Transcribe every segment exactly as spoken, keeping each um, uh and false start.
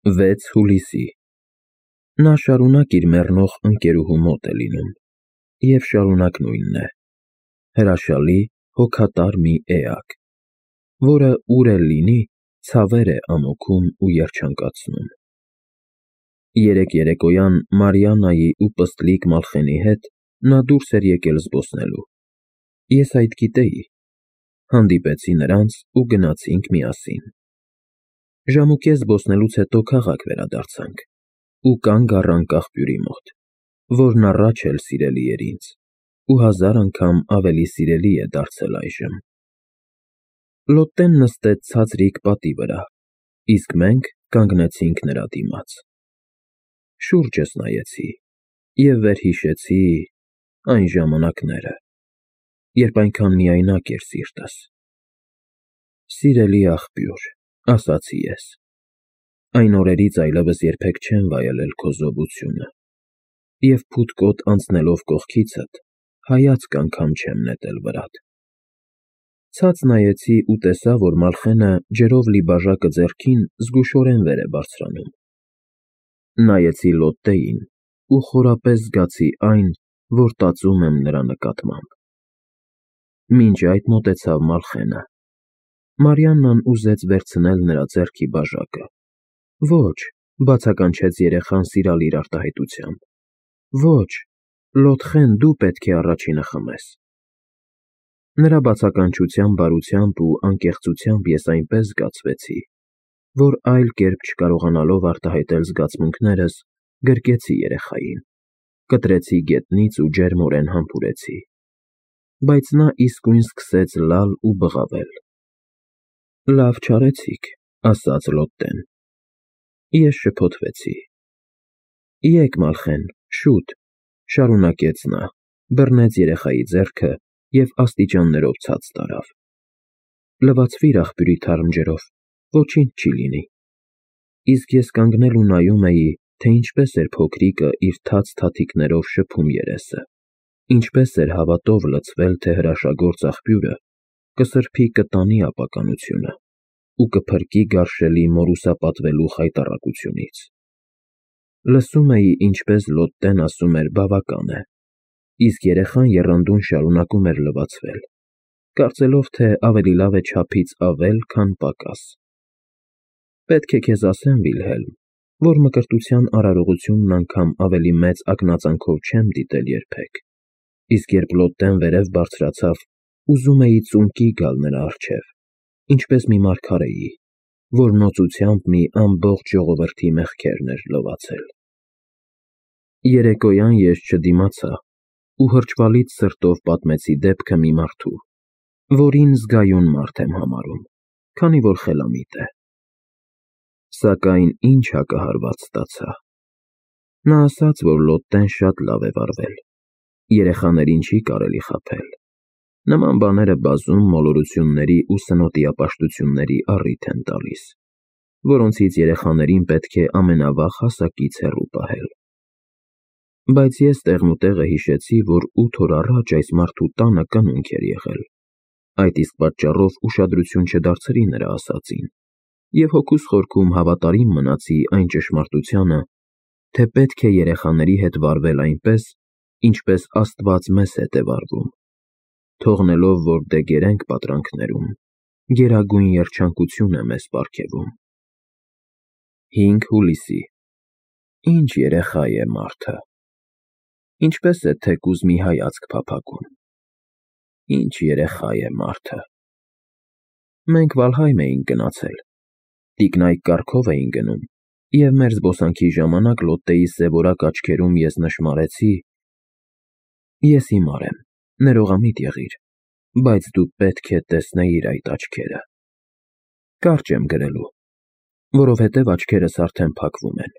վեց հուլիսի Նա շարունակ իր մեռնող ընկերուհու մոտ է լինում, և շարունակ նույնն է, հրաշալի, հոգատար մի էակ, որը ուր էլ լինի, ցավեր է ամոքում ու երջանկացնում։ Երեկ երեկոյան Մարիաննայի ու պստլիկ Մալխենի հետ նա դուրս էր եկել զբոսնելու։ Ես այդ գիտեի, հանդիպեցի նրանց ու գնացինք միասին։ Ժամուկես զբոսնելուց հետո քաղաք վերադարձանք ու կանգ առանք աղբյուրի մոտ, որն առաջ էլ սիրելի էր ինձ ու հազար անգամ ավելի սիրելի է դարձել այժմ։ Լոտտեն նստեց ցածրիկ պատի վրա, իսկ մենք կանգնեցինք նրա դիմաց։ Շուրջս նայեցի և վերհիշեցի այն ժամանակները, երբ այնքան միայնակ էր սիրտս։ Սիրելի աղբյուր, ասացի ես, այն օրերից այլևս երբեք չեմ վայելել քո զովությունը, և փութկոտ անցնելով կողքիցդ, հայացք անգամ չեմ նետել վրատ։ Ցած նայեցի ու տեսա, որ Մալխենը ջրով լի բաժակը ձեռքին զգուշորեն վեր է բարձրանում։ Նայեցի Լոտտեին ու խորապես զգացի այն, որ տածում եմ նրա նկատմամբ։ Մինչ այդ մոտեցավ Մալխենը։ Մարիաննան ուզեց վերցնել նրա ձեռքի բաժակը։ Ոչ, բացականչեց երեխան սիրալիր արտահայտությամբ։ Ոչ, Լոտխեն, դու պետք է առաջինը խմես։ Նրա բացականչության բարությամբ ու անկեղծությամբ ես այնպես զգացվեցի, որ այլ կերպ չկարողանալով արտահայտել զգացմունքներս, գրկեցի երեխային, կտրեցի գետնից ու ջերմորեն համբուրեցի։ Բայց նա իսկույն սկսեց լալ ու բղավել։ Լավ չարեցիք, ասաց Լոտտեն։ Ես շփոթվեցի։ Եկ, Մալխեն, շուտ, շարունակեց նա, բռնեց երեխայի ձեռքը և աստիճաններով ցած տարավ։ Լվացվիր աղբյուրի թարմ ջրով, ոչինչ չի լինի։ Իսկ ես կանգնել ու նայում էի, թե ինչպես էր փոքրիկը իր թաց թաթիկներով շփում երեսը, ինչպես էր հավատով լցվել, թե հրաշագործ աղբյուրը կսրբի կտանի ապականությունը ու կփրկի գարշելի մորուսապատվելու խայտառակությունից։ Լսում էի, ինչպես Լոտտեն ասում էր բավական է, իսկ երեխան եռանդուն շարունակում էր լվացվել, կարծելով, թե ավելի լավ է չափից ավել, քան պակաս։ Պետք է քեզ ասեմ, Վիլհելմ, որ մկրտության արարողությունն անգամ ավելի մեծ ակնածանքով չեմ դիտել երբեք, իսկ երբ Լոտտեն վերև բարձրացավ, ուզում էի ծունկի գալ նրա առջև, ինչպես մի մարգարեի, որ նոծությամբ մի ամբողջ ժողովրդի մեղքերն էր լվացել։ Երեկոյան ես չդիմացա ու հրճվալից սրտով պատմեցի դեպքը մի մարդու, որին զգայուն մարդ եմ համարում, քանի որ խելամիտ է։ Սակայն ինչ հակահարված ստացա։ Նա ասաց, որ Լոտտեն շատ լավ է վարվել, երեխաներին չի կարելի խաբել։ Նման բաները բազում մոլորությունների ու սնոտիապաշտությունների առիթ են տալիս, որոնցից երեխաներին պետք է ամենավաղ հասակից հեռու պահել։ Բայց ես տեղնուտեղը հիշեցի, որ ութ օր առաջ այս մարդու տանը կնունք էր եղել, այդ իսկ պատճառով ուշադրություն չդարձրի նրա ասածին, և հոգուս խորքում հավատարիմ մնացի այն ճշմարտությանը, թե պետք է երեխաների հետ վարվել այնպես, ինչպես Աստված մեզ հետ է վարվում, թողնելով, որ դե գերենք պատրանքներում, գերագույն երջանկություն է մեզ պարգևում։ հինգ հուլիսի Ինչ երեխա է մարդը։ Ինչպես է թեկուզ մի հայացք փափագում։ Ինչ երեխա է մարդը։ Մենք Վալհայմ էինք գնացել, տիկնայք կառքով էին գնում, և մեր զբոսանքի ժամանակ Լոտտեի սևորակ աչքերում ես նշմարեցի. Ես հիմար եմ, ներողամիտ եղիր, բայց դու պետք է տեսնեիր այդ աչքերը։ Կարճ եմ գրելու, որովհետև աչքերս արդեն փակվում են։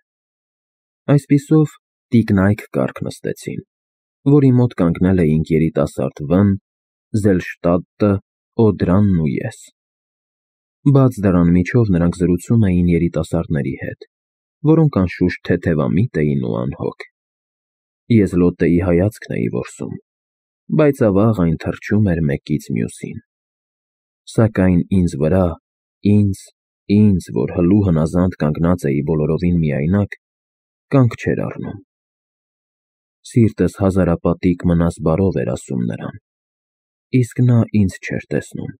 Այսպիսով, տիկնայք կառք նստեցին, որի մոտ կանգնել էինք երիտասարդ Վ֊ն, Զելշտադտը, Օդրանն ու ես։ Բաց դռան միջով նրանք զրուցում էին երիտասարդների հետ, որոնք անշուշտ թեթևամիտ էին ու անհոգ։ Ես Լոտտեի հայացքն էի որսում, բայց ավաղ այն թռչում էր մեկից մյուսին։ Սակայն ինձ վրա, ինձ ինձ, որ հլու հնազանդ կանգնած էի բոլորովին միայնակ, կանգ չէր առնում։ Սիրտս հազարապատիկ մնաս բարով էր ասում նրան, իսկ նա ինձ չէր տեսնում։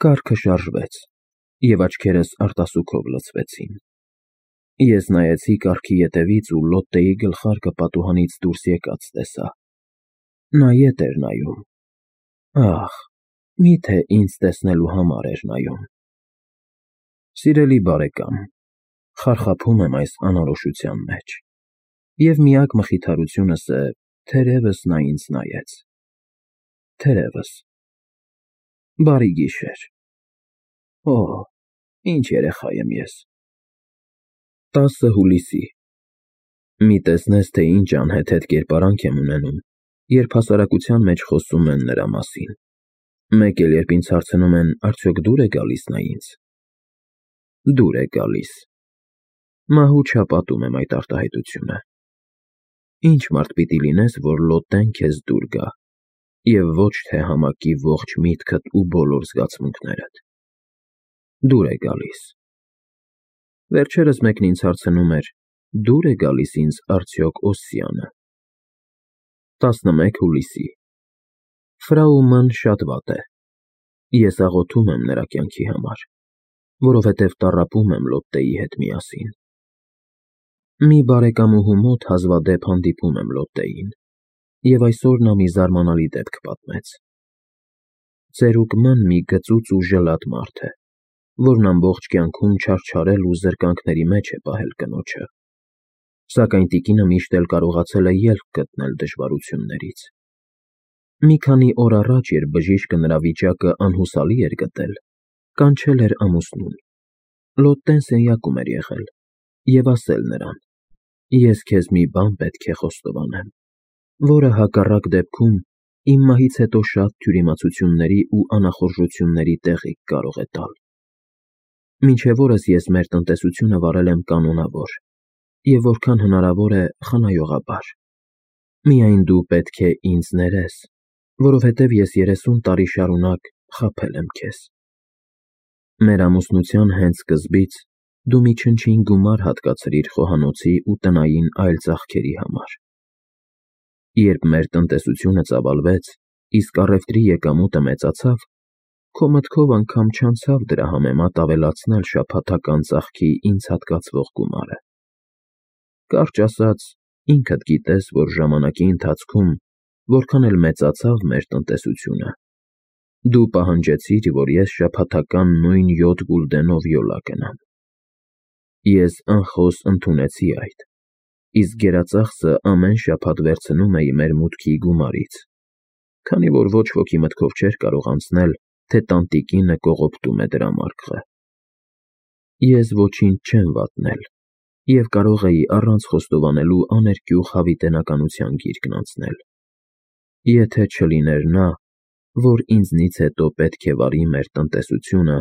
Կառքը շարժվեց, և աչքերս արտասուքով լցվեցին։ Ես նայեցի կառքի ետևից ու Լոտտեի գլխարկը պատուհանից դուրս եկած տեսա։ Նա ետ էր նայում։ Ահ, միթե ինձ տեսնելու համար էր նայում։ Սիրելի բարեկամ, խարխափում եմ այս անորոշության մեջ, և միակ մխիթարությունս է, թերևս նա ինձ նայեց։ Թերևս։ Բարի գիշեր։ Օ, ինչ երեխա եմ ես։ տասը հուլիսի։ Մի տեսնես, թե ինչ անհեթեթ կերպարանք եմ ունենում, երբ հասարակության մեջ խոսում են նրա մասին։ Մեկ էլ երբ ինձ հարցնում են, արդյոք դուր է գալիս նա ինձ։ Դուր է գալիս։ Մահու չափատում եմ այդ արտահայտությունը։ Ինչ մարդ պիտի լինես, որ Լոտտեն քեզ դուր գա, և ոչ թե համակի ողջ միտքդ ու բոլոր զգացմունքներդ։ Դուր է գալիս։ Վերջերս մեկն ինձ հարցնում էր. դուր է գալիս ինձ արդյոք Օսսիանը։ տասնմեկ հուլիսի։ Ֆրау Մ-ն շատ վատ է։ Ես աղոթում եմ նրա կյանքի համար, որովհետև տառապում եմ Լոտտեի հետ միասին։ Մի բարեկամուհու մոտ հազվադեպ հանդիպում եմ Լոտտեին, և այսօր նա մի զարմանալի դեպք պատմեց։ Ծերուկ Մ-ն մի գծուծ ու ժլատ մարդ է, որն ամբողջ կյանքում չարչարել ու զրկանքների մեջ է պահել կնոջը, սակայն տիկինը միշտ էլ կարողացել է ելք գտնել դժվարություններից։ Մի քանի օր առաջ, երբ բժիշկը նրա վիճակը անհուսալի էր գտել, կանչել էր ամուսնուն։ Լոտտեն սենյակում էր եղել և ասել նրան. ես քեզ մի բան պետք է խոստովանեմ, որը հակառակ դեպքում իմ մահից հետո շատ թյուրիմացությունների ու անախորժությունների տեղիք կարող է տալ։ Մինչև օրս ես մեր տնտեսությունը վարել եմ կանոնավոր և որքան հնարավոր է խնայողաբար։ Միայն դու պետք է ինձ ներես, որովհետև ես երեսուն տարի շարունակ խաբել եմ քեզ։ Մեր ամուսնության հենց սկզբից դու մի չնչին գումար հատկացրիր խոհանոցի ու տնային այլ ծախքերի համար։ Երբ մեր տնտեսությունը ծավալվեց, իսկ առևտրի եկամուտը մեծացավ, քո մտքով անգամ չանցավ դրա համեմատ ավելացնել շաբաթական ծախքի ինձ հատկացվող գումարը։ Կարճ ասած, ինքդ գիտես, որ ժամանակի ընթացքում, որքան էլ մեծացավ մեր տնտեսությունը, դու պահանջեցիր, որ ես շաբաթական նույն յոթ գուլդենով յոլա գնամ։ Ես անխոս ընդունեցի այդ, իսկ գերածախսը ամեն շաբաթ վերցնում էի մեր մուտքի գումարից, քանի որ ոչ ոքի մտքով չէր կարող անցնել, թե տանտիկինը կողոպտում է դրամարկղը։ Ես ոչինչ չեմ վատնել և կարող էի առանց խոստովանելու աներկյուղ հավիտենականության գիրկն անցնել, եթե չլիներ նա, որ ինձնից հետո պետք է վարի մեր տնտեսությունը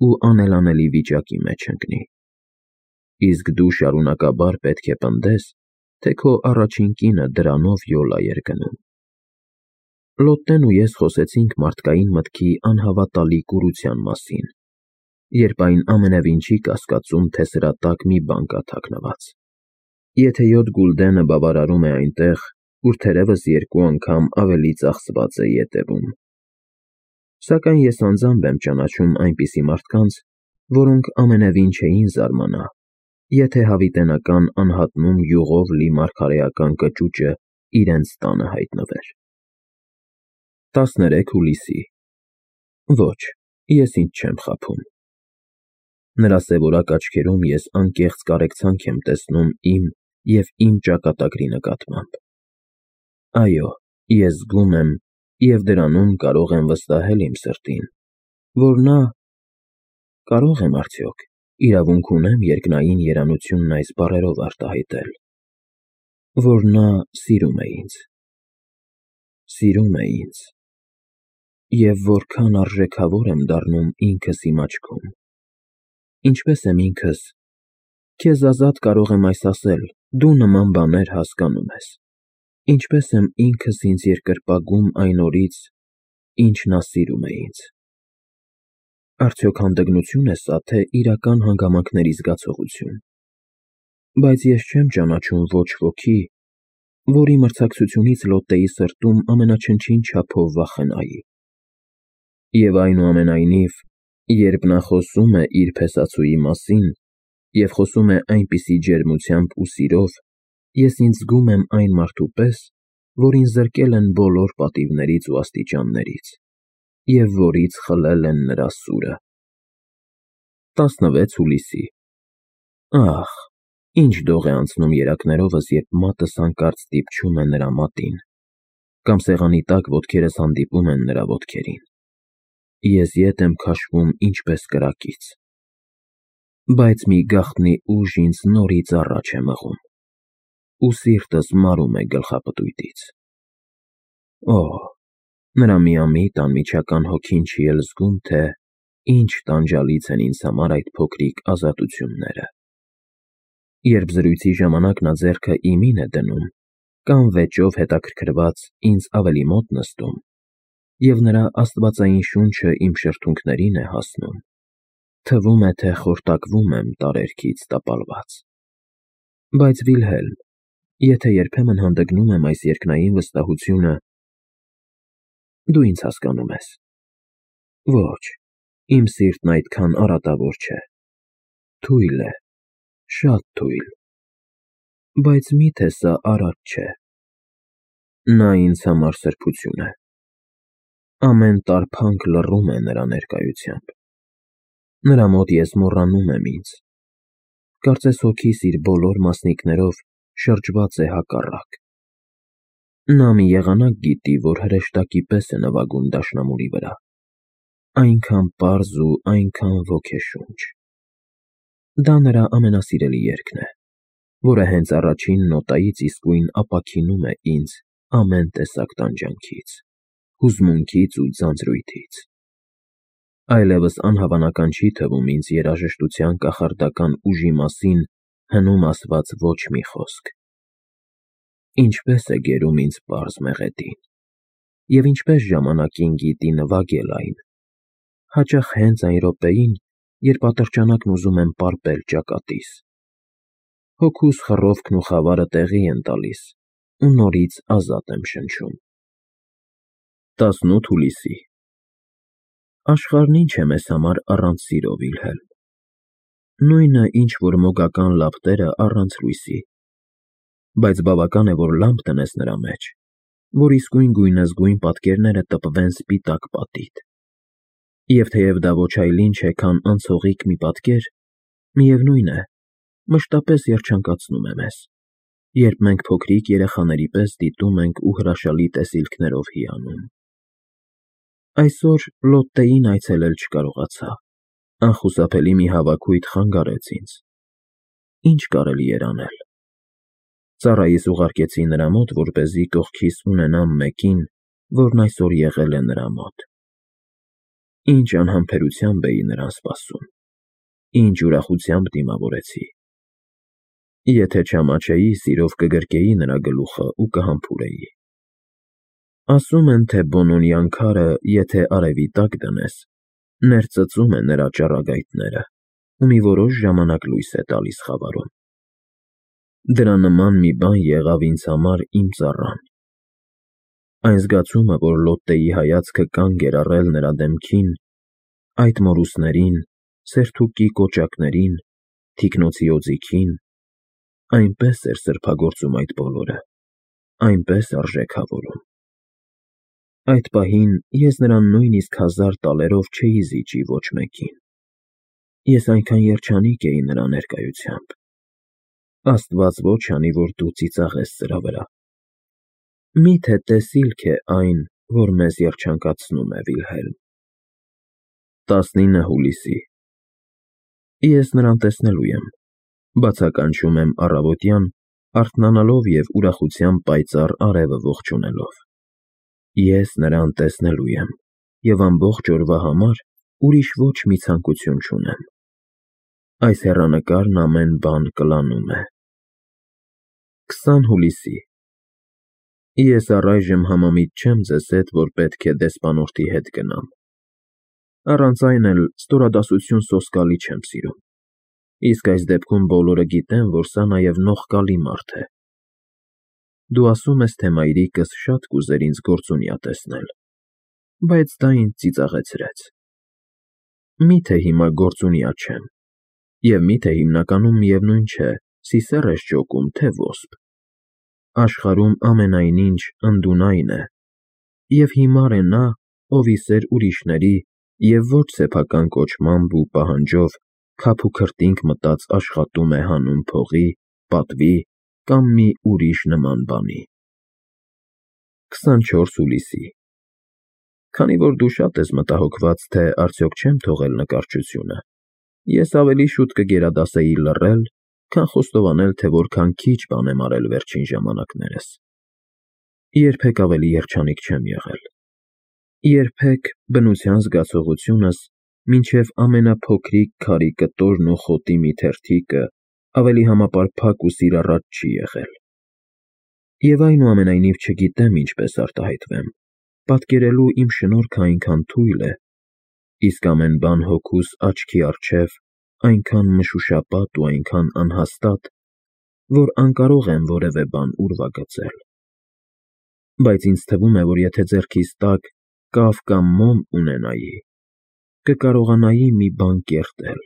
ու անելանելի վիճակի մեջ ընկնի։ Իսկ դու շարունակաբար պետք է պնդես, թե քո առաջին կինը դրանով յոլա էր գնում։ Լոտտեն ու ես խոսեցինք մարդկային մտքի անհավատալի կուրության մասին, երբ այն ամենևին չի կասկածում, թե սրա տակ մի բան կա թաքնված։ Եթե յոթ գուլդենը բավարարում է այնտեղ, ուր թերևս երկու անգամ ավելի ծախսված է ետևում։ Սակայն ես անձամբ եմ ճանաչում այնպիսի մարդկանց, որոնք ամենևին չէին զարմանա, եթե հավիտենական անհատնում յուղով լի մարգարեական կճուճը իրենց տանը հայտնվեր։ տասներեք հուլիսի։ Ոչ, ես ինձ չեմ խաբում։ Նրա սևորակ աչքերում ես անկեղծ կարեկցանք եմ տեսնում իմ և իմ ճակատագրի նկատմամբ։ Այո, ես զգում եմ և դրանում կարող եմ վստահել իմ սրտին, որ նա… կարո՞ղ եմ արդյոք, իրավունք ունեմ երկնային երանությունն այս բառերով արտահայտել, որ նա սիրում է ինձ։ Սիրում է ինձ։ Եվ որքան արժեքավոր եմ դառնում ինքս իմ աչքում։ Ինչպես եմ ինքս… քեզ ազատ կարող եմ այս ասել, դու նման բաներ հասկանում ես։ Ինչպես եմ ինքս ինձ երկրպագում այն օրից, ինչ նա սիրում է ինձ։ Արդյոք հանդգնություն է սա, թե իրական հանգամանքների զգացողություն։ Բայց ես չեմ ճանաչում ոչ ոքի, որի մրցակցությունից Լոտտեի սրտում ամենաչնչին չափով վախենայի։ Եվ այնուամենայնիվ, երբ նա խոսում է իր փեսացուի մասին և խոսում է այնպիսի ջերմությամբ ու սիրով, ես ինձ զգում եմ այն մարդու պես, որին զրկել են բոլոր պատիվներից ու աստիճաններից, և որից խլել են նրա սուրը։ տասնվեց հուլիսի Ահ, ինչ դող է անցնում երակներովս, երբ մատս հանկարծ դիպչում է նրա մատին, կամ սեղանի տակ ոտքերս հանդիպում են նրա ոտքերին։ Ես ետ եմ քաշվում ինչպես կրակից, բայց մի գաղտնի ուժ ինձ նորից առաջ է մղում, ու սիրտս մարում է գլխապտույտից։ Օ՜, նրա միամիտ անմիջական հոգին չի էլ զգում, թե ինչ տանջալից են ինձ համար այդ փոքրիկ ազատությունները։ Երբ զրույցի ժամանակ նա ձեռքը իմին է դնում, կամ վեճով հետաքրքրված ինձ ավելի մոտ նստում, և նրա աստվածային շունչը իմ շրթունքներին է հասնում, թվում է, թե խորտակվում եմ տարերքից տապալված։ Բայց Վիլհելմ, եթե երբեմն հանդգնում եմ այս երկնային վստահությունը, դու ինձ հասկանում ես։ Ոչ, իմ սիրտն այդքան արատավոր չէ, թույլ է, շատ թույլ, բայց մի՞թե սա արատ չէ։ Նա ինձ համար սրբություն է։ Ամեն տարփանք լռում է նրա ներկայությամբ։ Նրա մոտ ես մոռանում եմ ինձ։ Կարծես հոգիս իր բոլոր մասնիկներով շրջված է հակառակ։ Նա մի եղանակ գիտի, որ հրեշտակի պես է նվագում դաշնամուրի վրա, այնքան պարզ ու այնքան ոգեշունչ։ Դա նրա ամենասիրելի երգն է, որը հենց առաջին նոտայից իսկույն ապաքինում է ինձ ամեն տեսակ տանջանքից, հուզմունքից ու ձանձրույթից։ Այլևս անհավանական չի թվում ինձ երաժշտության կախարդական ուժի մասին հնում ասված ոչ մի խոսք։ Ինչպես է գերում ինձ պարզ մեղեդին, և ինչպես ժամանակին գիտի նվագել այն, հաճախ հենց այն րոպեին, երբ ատրճանակն ուզում եմ պարպել ճակատիս։ Հոգուս խռովքն ու խավարը տեղի են տալիս, ու նորից ազատ եմ շնչում։ տասնութ հուլիսի Աշխարհն ինչ է մեզ համար առանց սիրո, Վիլհելմ։ Նույնը, ինչ որ մոգական լապտերը առանց լույսի։ Բայց բավական է, որ լամպ դնես նրա մեջ, որ իսկույն գույնզգույն պատկերները տպվեն սպիտակ պատից։ Եվ թեև դա ոչ այլ ինչ է, քան անցողիկ մի պատկեր, միևնույն է, մշտապես երջանկացնում է մեզ, երբ մենք փոքրիկ երեխաների պես դիտում ենք ու հրաշալի տեսիլքներով հիանում։ Այսօր Լոտտեին այցելել չկարողացա, անխուսափելի մի հավաքույթ խանգարեց ինձ։ Ինչ կարելի էր անել։ Ծառայիս ուղարկեցի նրա մոտ, որպեսզի կողքիս ունենամ մեկին, որն այսօր եղել է նրա մոտ։ Ինչ անհամբերությամբ էի նրան սպասում, ինչ ուրախությամբ դիմավորեցի։ Եթե չամաչեի, սիրով կգրկեի նրա գլուխը ու կհամբուրեի։ Ասում են, թե Բոնոնյան քարը, եթե արևի տակ դնես, ներծծում է նրա ճառագայթները ու մի որոշ ժամանակ լույս է տալիս խավարում։ Դրա նման մի բան եղավ ինձ համար իմ ծառան։ Այն զգացումը, որ Լոտտեի հայացքը կանգ էր առել նրա դեմքին, այդ մորուսներին, սերթուկի կոճակներին, թիկնոցի օձիքին, այնպես էր սրբագործում այդ բոլորը, այնպես արժեքավորում։ Այդ պահին ես նրան նույնիսկ հազար տալերով չէի զիջի ոչ մեկին։ Ես այնքան երջանիկ էի նրա ներկայությամբ։ Աստված ոչ անի, որ դու ծիծաղես սրա վրա։ Մի՞թե տեսիլք է այն, որ մեզ երջանկացնում է, Վիլհելմ։ տասնինը հուլիսի Ես նրան տեսնելու եմ, բացականչում եմ առավոտյան, արթնանալով և ուրախությամբ պայծառ արևը ողջունելով։ Ես նրան տեսնելու եմ, և ամբողջ օրվա համար ուրիշ ոչ մի ցանկություն չունեմ։ Այս հեռանկարն ամեն բան կլանում է։ քսան հուլիսի Ես առայժմ համամիտ չեմ ձեզ հետ, որ պետք է դեսպանորդի հետ գնամ։ Առանց այն էլ ստորադասություն սոսկալի չեմ սիրում, իսկ այս դեպքում բոլորը գիտեն, որ սա նաև նողկալի մարդ է։ Դու ասում ես, թե մայրիկս շատ կուզեր ինձ գործունյա տեսնել, բայց դա ինձ ծիծաղեցրեց։ Մի՞թե հիմա գործունյա չեմ, և մի՞թե հիմնականում միևնույն չէ, սիսեռ ես ջոկում, թե ոսպ։ Աշխարհում ամենայն ինչ ընդունայն է, և հիմար է նա, ով ի սեր ուրիշների և ոչ սեփական կոչմամբ ու պահանջով քափուքրտինք մտած աշխատում է հանուն փողի, պատվի կամ մի ուրիշ նման բանի։ քսանչորս հուլիսի Քանի որ դու շատ ես մտահոգված, թե արդյոք չեմ թողել նկարչությունը, ես ավելի շուտ կգերադասեի լռել, քան խոստովանել, թե որքան քիչ բան եմ արել վերջին ժամանակներս։ Երբեք ավելի երջանիկ չեմ եղել։ Երբեք բնության զգացողությունս մինչև ամենափոքրիկ քարի կտորն ու խոտի մի թերթիկը ավելի համապարփակ ու սիրառատ չի եղել։ Եվ այնուամենայնիվ չգիտեմ ինչպես արտահայտվեմ, պատկերելու իմ շնորհքը այնքան թույլ է, իսկ ամեն բան հոգուս աչքի առջև այնքան մշուշապատ ու այնքան անհաստատ, որ անկարող եմ որևէ բան ուրվագծել։ Բայց ինձ թվում է, որ եթե ձեռքիս տակ կավ կամ մոմ ունենայի, կկարողանայի մի բան կերտել։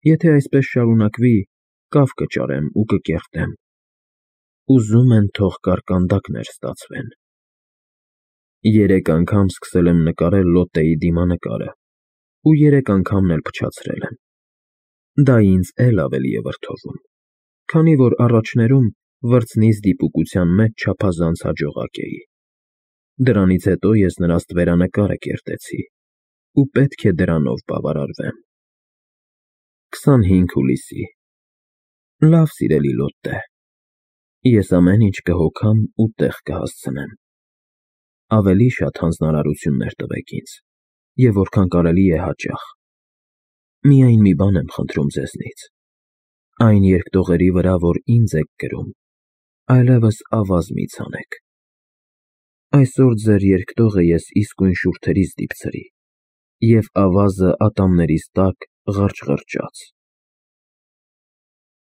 Եթե այսպես շարունակվի, կավ կճարեմ ու կկերտեմ։ Ուզում են թող կարկանդակներ ստացվեն։ Երեք անգամ սկսել եմ նկարել լոտեի դիմանկարը ու երեք անգամն էլ փչացրել եմ։ Դա ինձ էլ ավելի է վրդովում, քանի որ առաջներում վրձնիս դիպուկության մեջ չափազանց հաջողակ էի։ Դրանից հետո ես նրա ստվերանկարը կերտեցի ու պետք է դրանով բավարարվեմ։ քսանհինգ հուլիսի Լավ, սիրելի Լոտտե, ես ամեն ինչ կհոգամ ու տեղ կհասցնեմ։ Ավելի շատ հանձնարարություններ տվեք ինձ, և որքան կարելի է հաճախ։ Միայն մի բան եմ խնդրում ձեզնից. այն երկտողերի վրա, որ ինձ եք կրում, այլևս ավազ մի ցանեք։ Այսօր ձեր երկտողը ես իսկույն շուրթերից դիպցրի, և ավազը ատամներիս տակ ղրճ֊ղրճաց։